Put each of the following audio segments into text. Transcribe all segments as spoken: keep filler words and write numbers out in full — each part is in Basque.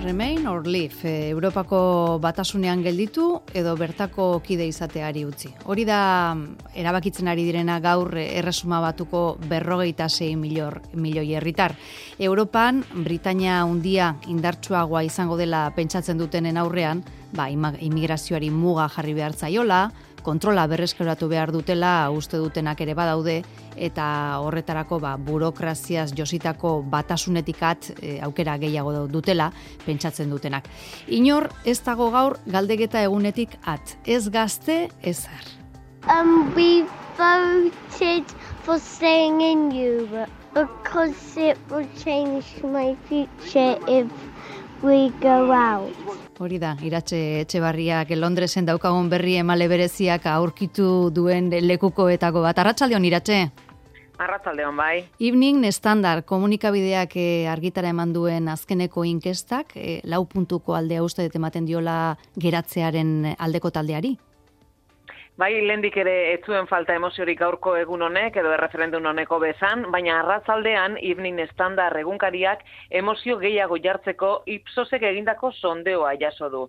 Remain or leave, e, Europako batasunean gelditu edo bertako kide izateari utzi. Hori da erabakitzen ari direna gaur erresuma batuko berrogeita sei milioi herritar. Europan Britainia handia indartsuagoa izango dela pentsatzen dutenen aurrean, ba, immigrazioari muga jarri behar zaiola, kontrola berreskuratu behar dutela uste dutenak ere badaude, eta horretarako ba, burokraziaz jositako batasunetik at e, aukera gehiago dutela pentsatzen dutenak. Inor ez dago gaur galdeketa egunetik at. Ez gazte, ez ar. Um, we voted for staying in Europe because it will change my future if we go out. Hori da, Iratxe Etxebarriak Londresen daukagun berri emale bereziak aurkitu duen lekukoetako bat. Arratsaldeon, Iratxe? Arratsaldeon, bai. Evening Standard komunikabideak argitara eman duen azkeneko inkestak, lau puntuko aldea uste dut ematen diola geratzearen aldeko taldeari? Bai, lehendik ere ez zuen falta emoziorik gaurko egun honek edo erreferendum honeko bezan, baina arratzaldean Evening Standard egunkariak emozio gehiago jartzeko Ipsosek egindako sondeoa jaso du.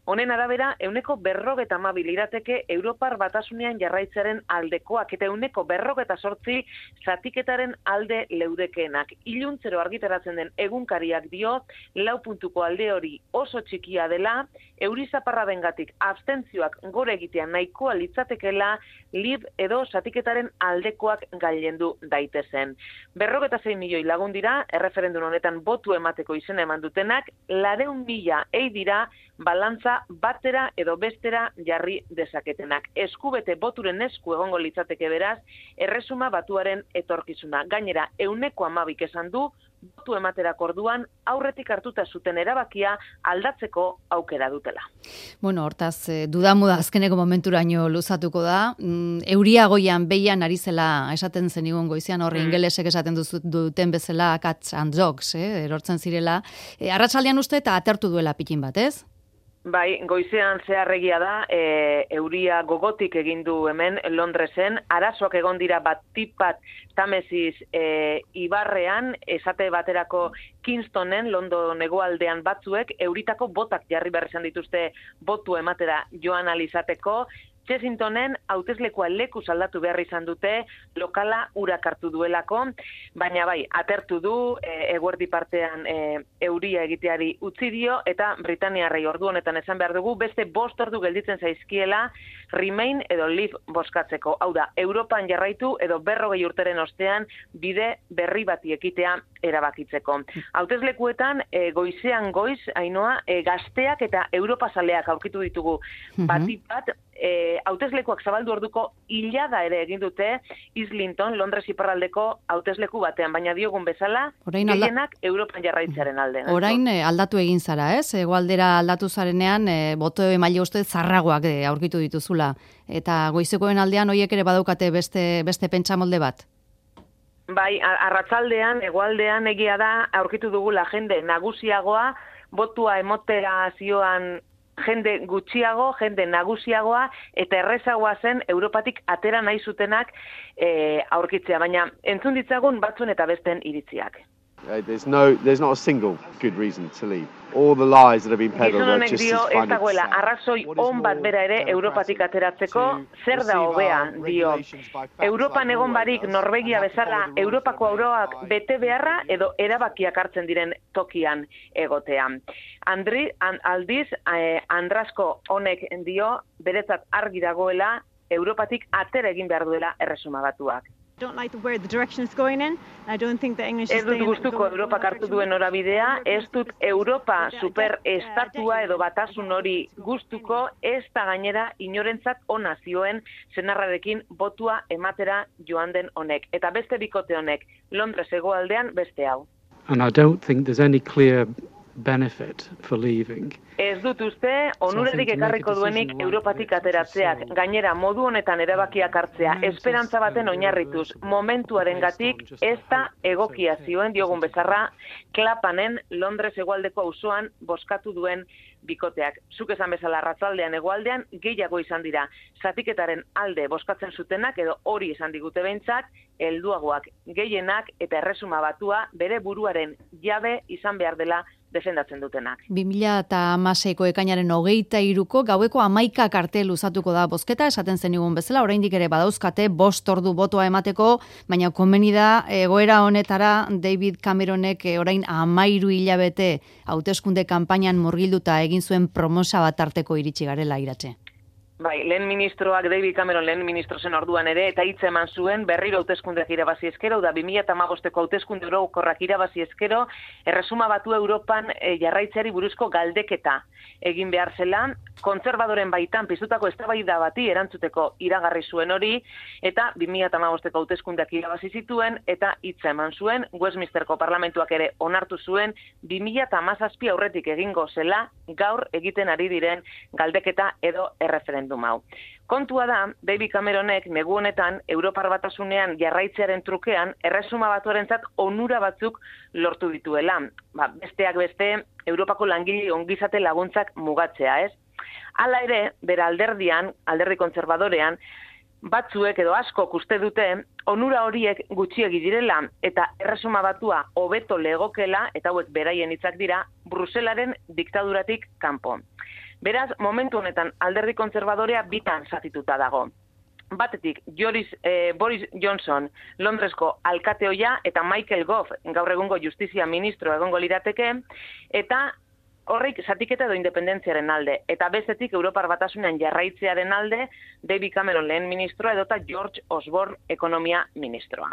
Honen arabera, euneko berrogeta hamabi lirateke Europar batasunean jarraitzearen aldekoak eta euneko berrogeta sortzi zatiketaren alde leudekeenak. Iluntzero argitaratzen den egunkariak dio, lau puntuko alde hori oso txikia dela, eurizaparra bengatik abstentzioak gore egitea nahikoa litzatekela, lib edo zatiketaren aldekoak gailendu daitezen. Berrogeta sei milioi lagun dira, erreferendum honetan botu emateko izena eman dutenak, lareun mila ei dira balantza batera edo bestera jarri dezaketenak. Eskubete boturen esku egongo litzateke beraz, erresuma batuaren etorkizuna. Gainera, euneko hamabik esan du, botu ematerako orduan aurretik hartuta zuten erabakia aldatzeko aukera dutela. Bueno, hortaz, dudamuda azkeneko momenturaino luzatuko da. Euria goian behian ari zela esaten zenigun goizean horre mm. ingelesek esaten duten bezala cats and dogs, eh, erortzen zirela. E, arratsaldean uste eta atertu duela pikin bat, ez? Bai, goizean zeharregia da, e, euria gogotik egin du hemen Londresen, arazoak egon dira bat tipat Tamesis e, ibarrean, esate baterako Kingstonen, London hegoaldean batzuek, euritako botak jarri behar izan dituzte botu ematera joan alizateko, Chessingtonen hauteslekoa leku aldatu behar izan dute, lokala urak hartu duelako, baina bai, atertu du, e, eguerdi partean e, euria egiteari utzi dio, eta Britaniarrei ordu honetan esan behar dugu, beste bost ordu gelditzen zaizkiela, Remain edo Leave boskatzeko. Hau da, Europan jarraitu edo berrogei urteren ostean bide berri bati ekitea erabakitzeko. Hauteslekuetan, e, goizean goiz, Ainoa, e, gazteak eta Europazaleak aurkitu ditugu batik bat, E, hauteslekuak zabaldu orduko hilada ere egin dute Islington, Londres iparraldeko hautesleku batean, baina diogun bezala, gehienak alda... Europan jarraitzearen alde. Orain e, aldatu egin zara, ez? Egoaldera aldatu zarenean, e, boto emaile uste zarragoak e, aurkitu dituzula. Eta goizekoen aldean hoiek ere badaukate beste, beste pentsamolde bat? Bai, arratsaldean, egoaldean egia da, aurkitu dugula jende nagusiagoa, botua emotera zioan jende gutxiago, jende nagusiagoa, eta errezagoa zen Europatik atera nahi zutenak e, aurkitzea, baina entzun ditzagun batzuen eta besten iritziak. Uh, there's no, there's not a single good reason to leave. All the lies that have been peddled are just as ez dagoela arrazoi on bat bera ere Europatik ateratzeko, zer da hobea, dio. Europan egon barik Norvegia bezala Europako auroak bete beharra edo erabakiak hartzen diren tokian egotea. Andri, an, aldiz, eh, Andrasko honek dio, beretzat argi dagoela, Europatik atera egin behar duela erresuma batuak. Don't like the where the direction is going in. I don't think the English is Ez dut gustuko Europak hartu duen norabidea, ez dut Europa superestatua edo batasun hori gustuko, ez da gainera inorentzat ona zioen senarrarekin botua ematera joan den honek. Eta beste bikote honek, Londres hegoaldean beste hau. And I don't think there's any clear benefit for leaving. Ez dut uste, onurarik ekarriko duenik Europatik ateratzeak, gainera modu honetan erabakiak hartzea, esperantza baten oinarrituz, momentuarengatik ez da egokia zioen diogun bezarra, Klapanen Londres hegoaldeko auzoan bozkatu duen bikoteak. Zuk esan bezala arratsaldean hegoaldean gehiago izan dira. Zatiketaren alde bozkatzen zutenak edo hori esan digute behintzat, helduagoak gehienak eta erresuma batua bere buruaren jabe izan behar dela defendatzen dutenak. bi mila hamaseiko ekainaren hogeita hiruko gaueko hamaika kartel luzatuko da bozketa, esaten zenigun bezala, oraindik ere badauzkate bost ordu botoa emateko, baina komeni da egoera honetara David Cameronek orain hamairu hilabete hauteskunde kanpainan murgilduta egin zuen promosa bat arteko iritsi garela Iratxe. Bai, lehen ministroak, David Cameron lehen ministro zen orduan ere, eta hitz eman zuen berriro hauteskundeak irabazi ezkero, da bi mila hamabosteko hauteskunde orokorrak irabazi ezkero, erresuma batu Europan e, jarraitzeari buruzko galdeketa egin behar zela, kontserbadoren baitan piztutako eztabaida bati erantzuteko iragarri zuen hori, eta bi mila hamabosteko hauteskundeak irabazi zituen, eta hitz eman zuen, Westminsterko parlamentuak ere onartu zuen, bi mila hamazazpi aurretik egingo zela, gaur egiten ari diren galdeketa edo erreferendum. Hau. Kontua da, David Cameronek negu honetan Europar Batasunean jarraitzearen trukean erresuma batuarentzat onura batzuk lortu dituela. Ba, besteak beste, Europako langile ongizate laguntzak mugatzea, ez? Hala ere, bera alderdian, alderdi kontserbadorean, batzuek edo askok uste dute onura horiek gutxiegi direla eta erresuma batua hobeto legokela, eta hauek beraien hitzak dira, Bruselaren diktaduratik kanpo. Beraz, momentu honetan alderdi kontserbadorea bitan zatituta dago. Batetik, Joris, eh, Boris Johnson, Londresko alkateoia, eta Michael Gove, gaur egungo justizia ministro egongo lirateke, eta horrik zatiketa edo independentziaren alde. Eta bestetik, Europar Batasunean jarraitzearen alde, David Cameron lehen ministroa edota George Osborne ekonomia ministroa.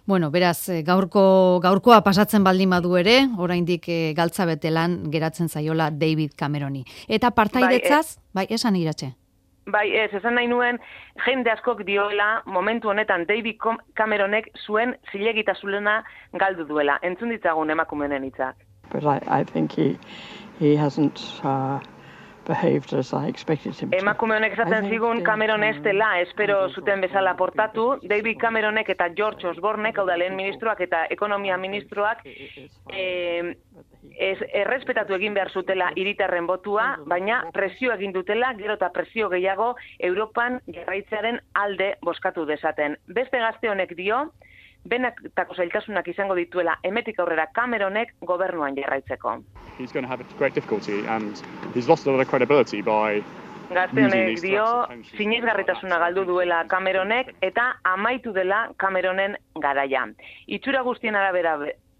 Bueno, beraz, gaurko, gaurkoa pasatzen baldin badu ere, oraindik e, galtza betelan geratzen zaiola David Cameroni. Eta partaidetzaz, bai, bai esan Iratxe. Bai, ez, esan nahi nuen, jende askok dioela, momentu honetan David Cameronek zuen zilegitasunena galdu duela. Entzun ditzagun emakumeen hitzak. But I, I think he, he hasn't uh, behaved as I expected him to. Emakume honek esaten zigun Cameron ez dela, espero zuten bezala portatu. David Cameronek eta George Osbornek, hau da lehen ministroak eta ekonomia ministroak, eh, ez errespetatu egin behar zutela hiritarren botua, baina presio egin dutela, gero eta presio gehiago Europan jarraitzearen alde bozkatu dezaten. Beste gazte honek dio, benetako zailtasunak izango dituela emetik aurrera Cameronek gobernuan jarraitzeko. He's going to have a great difficulty and he's lost a lot of credibility by Gazte honek dio sinesgarritasuna galdu duela Cameronek eta amaitu dela Cameronen garaia. Itxura guztien arabera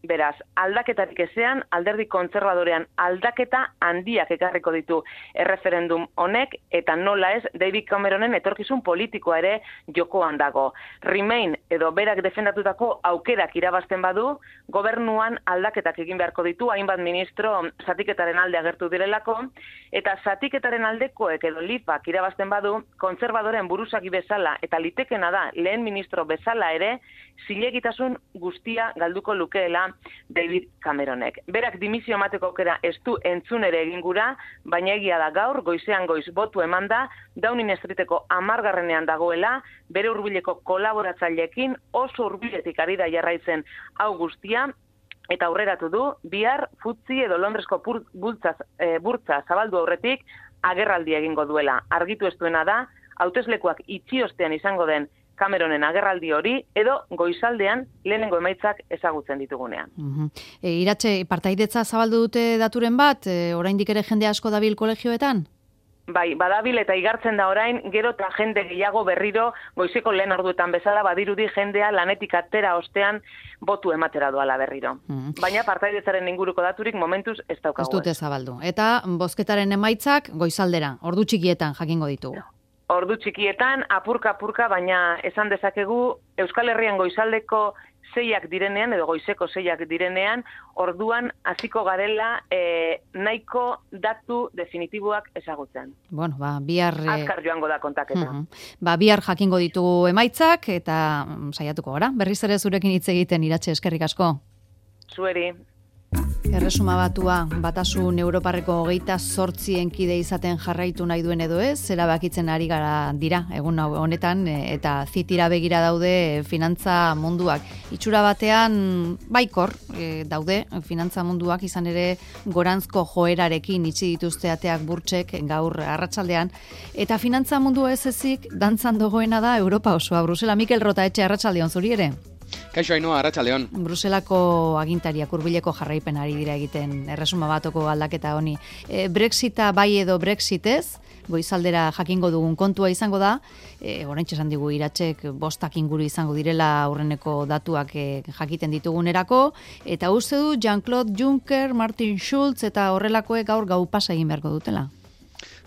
beraz, aldaketarik ezean, alderdi kontserbadorean aldaketa handiak ekarriko ditu erreferendum honek, eta nola ez, David Cameronen etorkizun politikoa ere jokoan dago. Remain edo berak defendatutako aukerak irabazten badu, gobernuan aldaketak egin beharko ditu, hainbat ministro zatiketaren alde agertu direlako, eta zatiketaren aldekoek edo lifak irabazten badu, kontserbadoren buruzagi bezala, eta litekena da, lehen ministro bezala ere, zilegitasun guztia galduko lukeela David Cameronek. Berak dimisio emateko aukera ez du entzun ere egin gura, baina egia da gaur, goizean goiz botu emanda, Downing Streeteko hamargarrenean dagoela, bere hurbileko kolaboratzaileekin oso hurbiletik ari da jarraitzen hau guztia, eta aurreratu du, bihar futzi edo Londresko burtza, e, burtza zabaldu aurretik agerraldi egingo duela. Argitu ez duena da, hauteslekuak itxi ostean izango den Cameronen agerraldi hori, edo goizaldean lehenengo emaitzak ezagutzen ditugunean. Uh-huh. E, Iratxe, partaidetza zabaldu dute daturen bat, e, oraindik ere jende asko dabil kolegioetan? Bai, badabil eta igartzen da orain, gero eta jende gehiago berriro, goizeko lehen orduetan bezala, badirudi jendea lanetik atera ostean botu ematera doala berriro. Uh-huh. Baina partaidetzaren inguruko daturik momentuz ez daukagu. Ez dute zabaldu. Eta bozketaren emaitzak goizaldera, ordu txikietan jakingo ditugu. Ordu txikietan, apurka-apurka, baina esan dezakegu Euskal Herrian goizaldeko zeiak direnean, edo goizeko zeiak direnean, orduan hasiko garela e, nahiko datu definitiboak ezagutzen. Bueno, ba, bihar... Azkar joango da kontaketa. Uh-huh. Ba, bihar jakingo ditugu emaitzak, eta mm, saiatuko gara. Berriz ere zurekin hitz egiten, Iratxe, eskerrik asko. Zueri. Erresuma batua, batasun Europarreko hogeita zortzien kide izaten jarraitu nahi duen edo ez, erabakitzen ari gara dira, egun honetan, eta zitira begira daude finantza munduak. Itxura batean, baikor e, daude, finantza munduak izan ere goranzko joerarekin itxi dituzte ateak burtsek gaur arratsaldean, eta finantza mundu ez ezik dantzan dagoena da Europa osoa. Brusela, Mikel Rota etxe arratsaldeon zuri ere? Kaixo Ainhoa, arratsaldeon. Bruselako agintariak hurbileko jarraipen ari dira egiten erresuma batoko aldaketa honi. E, Brexita bai edo Brexitez, goizaldera jakingo dugun kontua izango da, e, oraintxe esan digu iratsek bostak inguru izango direla aurreneko datuak e, jakiten ditugunerako, eta uste du Jean-Claude Juncker, Martin Schulz eta horrelakoek gaur gau pasa egin beharko dutela.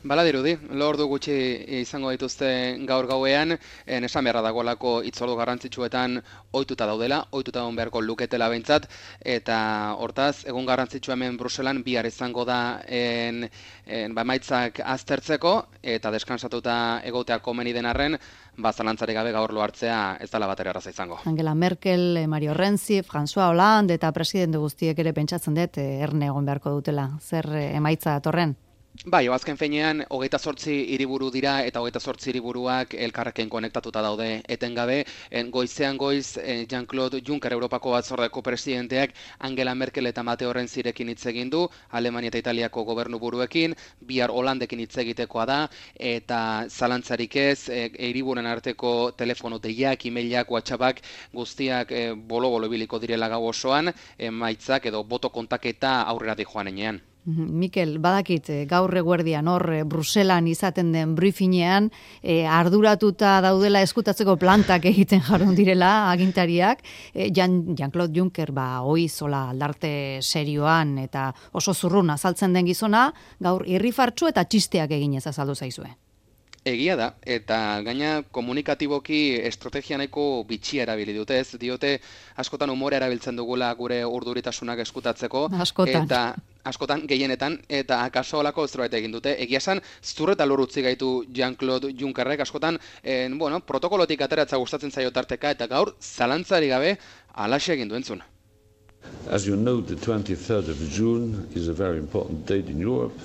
Bala dirudi, lordu gutxi izango dituzte gaur gauean, en esan beharra dagoelako itzordu garrantzitsuetan ohituta daudela, ohituta egon beharko luketela behintzat, eta hortaz, egun garrantzitsua hemen Bruselan bihar izango da en, en, ba, emaitzak aztertzeko, eta deskansatuta egotea komeni den arren, ba, zalantzarik gabe gaur lo hartzea ez dela batera erraza izango. Angela Merkel, Mario Renzi, François Hollande eta presidente guztiek ere pentsatzen dut erne egon beharko dutela. Zer emaitza datorren? Bai, azken feinean, hogeita zortzi hiriburu dira eta hogeita zortzi hiriburuak elkarrekin konektatuta daude etengabe. En, goizean goiz, eh, Jean-Claude Juncker Europako batzordeko presidenteak Angela Merkel eta Matteo Renzirekin hitz egin du, Alemania eta Italiako gobernu buruekin, bihar Holandekin hitz egitekoa da, eta zalantzarik ez, eh, hiriburen arteko telefono deiak, emailak, WhatsAppak guztiak eh, bolo-bolo ibiliko direla gau osoan, emaitzak edo boto kontaketa aurrera di joan enean. Mikel, badakit, gaur eguerdian hor Bruselan izaten den briefingean e, arduratuta daudela eskutatzeko plantak egiten jarrun direla agintariak. E, Jean, Jean-Claude Juncker, ba, oizola aldarte serioan eta oso zurrun azaltzen den gizona, gaur irrifartsu eta txisteak eginez azaldu zaizue. Egia da, eta gaina komunikatiboki estrategia nahiko bitxia erabili dute, ez diote askotan umore erabiltzen dugula gure urduritasunak eskutatzeko. Askotan. Eta askotan gehienetan, eta akaso olako zerbait egin dute. Egia esan, zur eta lur utzi gaitu Jean-Claude Junckerrek, askotan, en, bueno, protokolotik ateratza gustatzen zaio tarteka, eta gaur, zalantzari gabe, alaxe egin duentzun. As you know, the twenty-third of June is a very important date in Europe.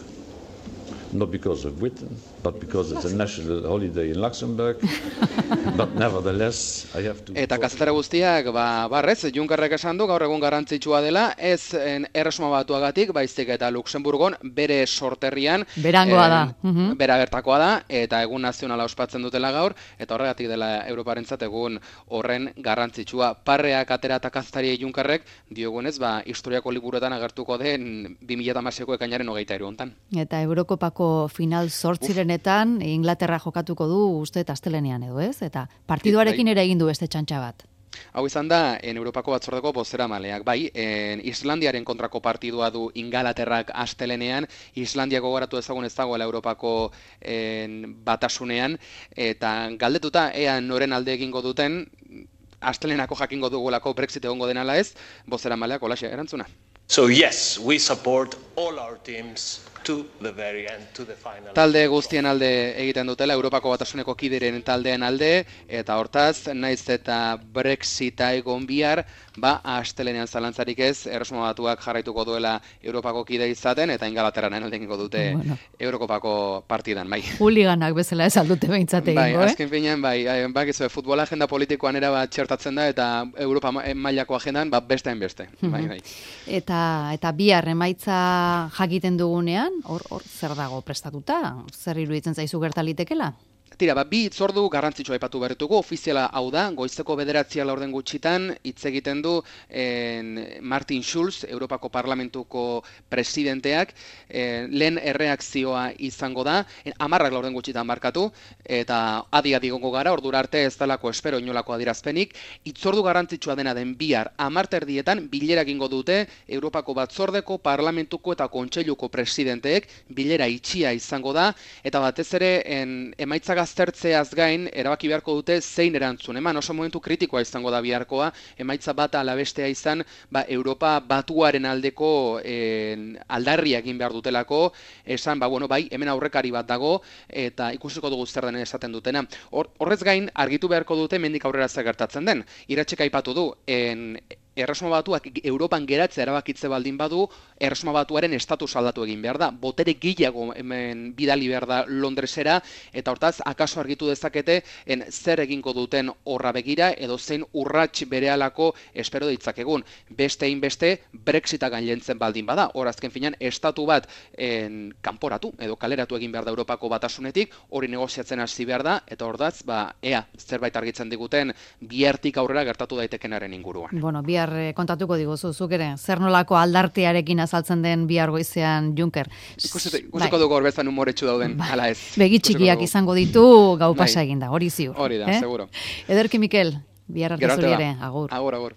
Not because of Britain, but because it's a national holiday in Luxembourg. But nevertheless, I have to... Eta kazetara guztiak, ba, barrez, Junckerrek esan du, gaur egun garrantzitsua dela, ez en, erresuma batuagatik, baizik eta Luxemburgon bere sorterrian. Berangoa da. En, bera bertakoa da, eta egun nazionala ospatzen dutela gaur, eta horregatik dela Europarentzat egun horren garrantzitsua. Parreak atera eta kazetari Junckerrek, diogunez, ba, historiako liburuetan agertuko den bi mila hamaseiko ekainaren hogeita hiru hontan. Eta Eurokopako final zortzirenetan Inglaterra jokatuko du uste astelenean edo ez? Eta partiduarekin ere egin du beste txantxa bat. Hau izan da, en Europako batzordeko bozeramaleak, bai, en Islandiaren kontrako partidua du Ingalaterrak astelenean, Islandia gogoratu ezagun ez dagoela Europako en, batasunean, eta galdetuta, ea noren alde egingo duten, astelenako jakingo dugulako Brexit egongo denala ez, bozeramaleak holaxe erantzuna. So yes, we support all our teams to the very end, to the final. Talde guztien alde egiten dutela, Europako batasuneko kideren taldeen alde, eta hortaz, naiz eta Brexita egon bihar, ba, astelenean zalantzarik ez, erresuma batuak jarraituko duela Europako kide izaten, eta Ingalaterraren alde egingo dute bueno. Eurokopako partidan, bai. Huliganak bezala ez aldute behintzate egingo, bai, eh? Azken finean, bai, bai, gizu, futbola agenda politikoan era bat txertatzen da, eta Europa mailako agendan, ba, beste beste, bai, bai. Eta, eta bihar emaitza jakiten dugunean, hor, hor zer dago prestatuta? Zer iruditzen zaizu gertalitekela? Tira, ba, bi hitzordu garrantzitsua aipatu behar ditugu, ofiziala hau da, goizeko bederatzia laurden gutxitan, hitz egiten du en, Martin Schulz, Europako Parlamentuko presidenteak, en, lehen erreakzioa izango da, en, amarrak laurden gutxitan markatu, eta adi-adi gongo gara, ordura arte ez dalako espero inolako adirazpenik, hitzordu garrantzitsua dena den bihar, amarterdietan bilera egingo dute, Europako Batzordeko, Parlamentuko eta Kontseiluko presidenteek, bilera itxia izango da, eta batez ere, en, emaitza aztertzeaz gain, erabaki beharko dute zein erantzun. Eman oso momentu kritikoa izango da biharkoa, emaitza bata alabestea izan, ba, Europa batuaren aldeko eh, aldarria egin behar dutelako, esan, ba, bueno, bai, hemen aurrekari bat dago, eta ikusiko dugu zer den esaten dutena. Hor, horrez gain, argitu beharko dute mendik aurrera zer gertatzen den. Iratsek aipatu du, en, Erresuma Batuak Europan geratzea erabakitze baldin badu, Erresuma Batuaren estatus aldatu egin behar da. Botere gehiago hemen bidali behar da Londresera, eta hortaz, akaso argitu dezakete en zer egingo duten horra begira, edo zein urrats berehalako espero ditzakegun. Beste beste Brexita gainentzen baldin bada. Hor azken finean, estatu bat en, kanporatu, edo kaleratu egin behar da Europako Batasunetik, hori negoziatzen hasi behar da, eta hortaz, ba, ea, zerbait argitzen diguten, bihartik aurrera gertatu daitekenaren inguruan. Bueno, bihar kontatuko diguzu, zuk ere, zer nolako aldartearekin azaltzen den bihar goizean Juncker. Ikusiko dugu hor bezan umoretsu dauden, bai. Ala ez. Begi txikiak izango ditu, gau pasa eginda, hori ziur. Hori da, eh? seguro. Ederki Mikel, bihar arte zuri ere, agur. Agur, agur.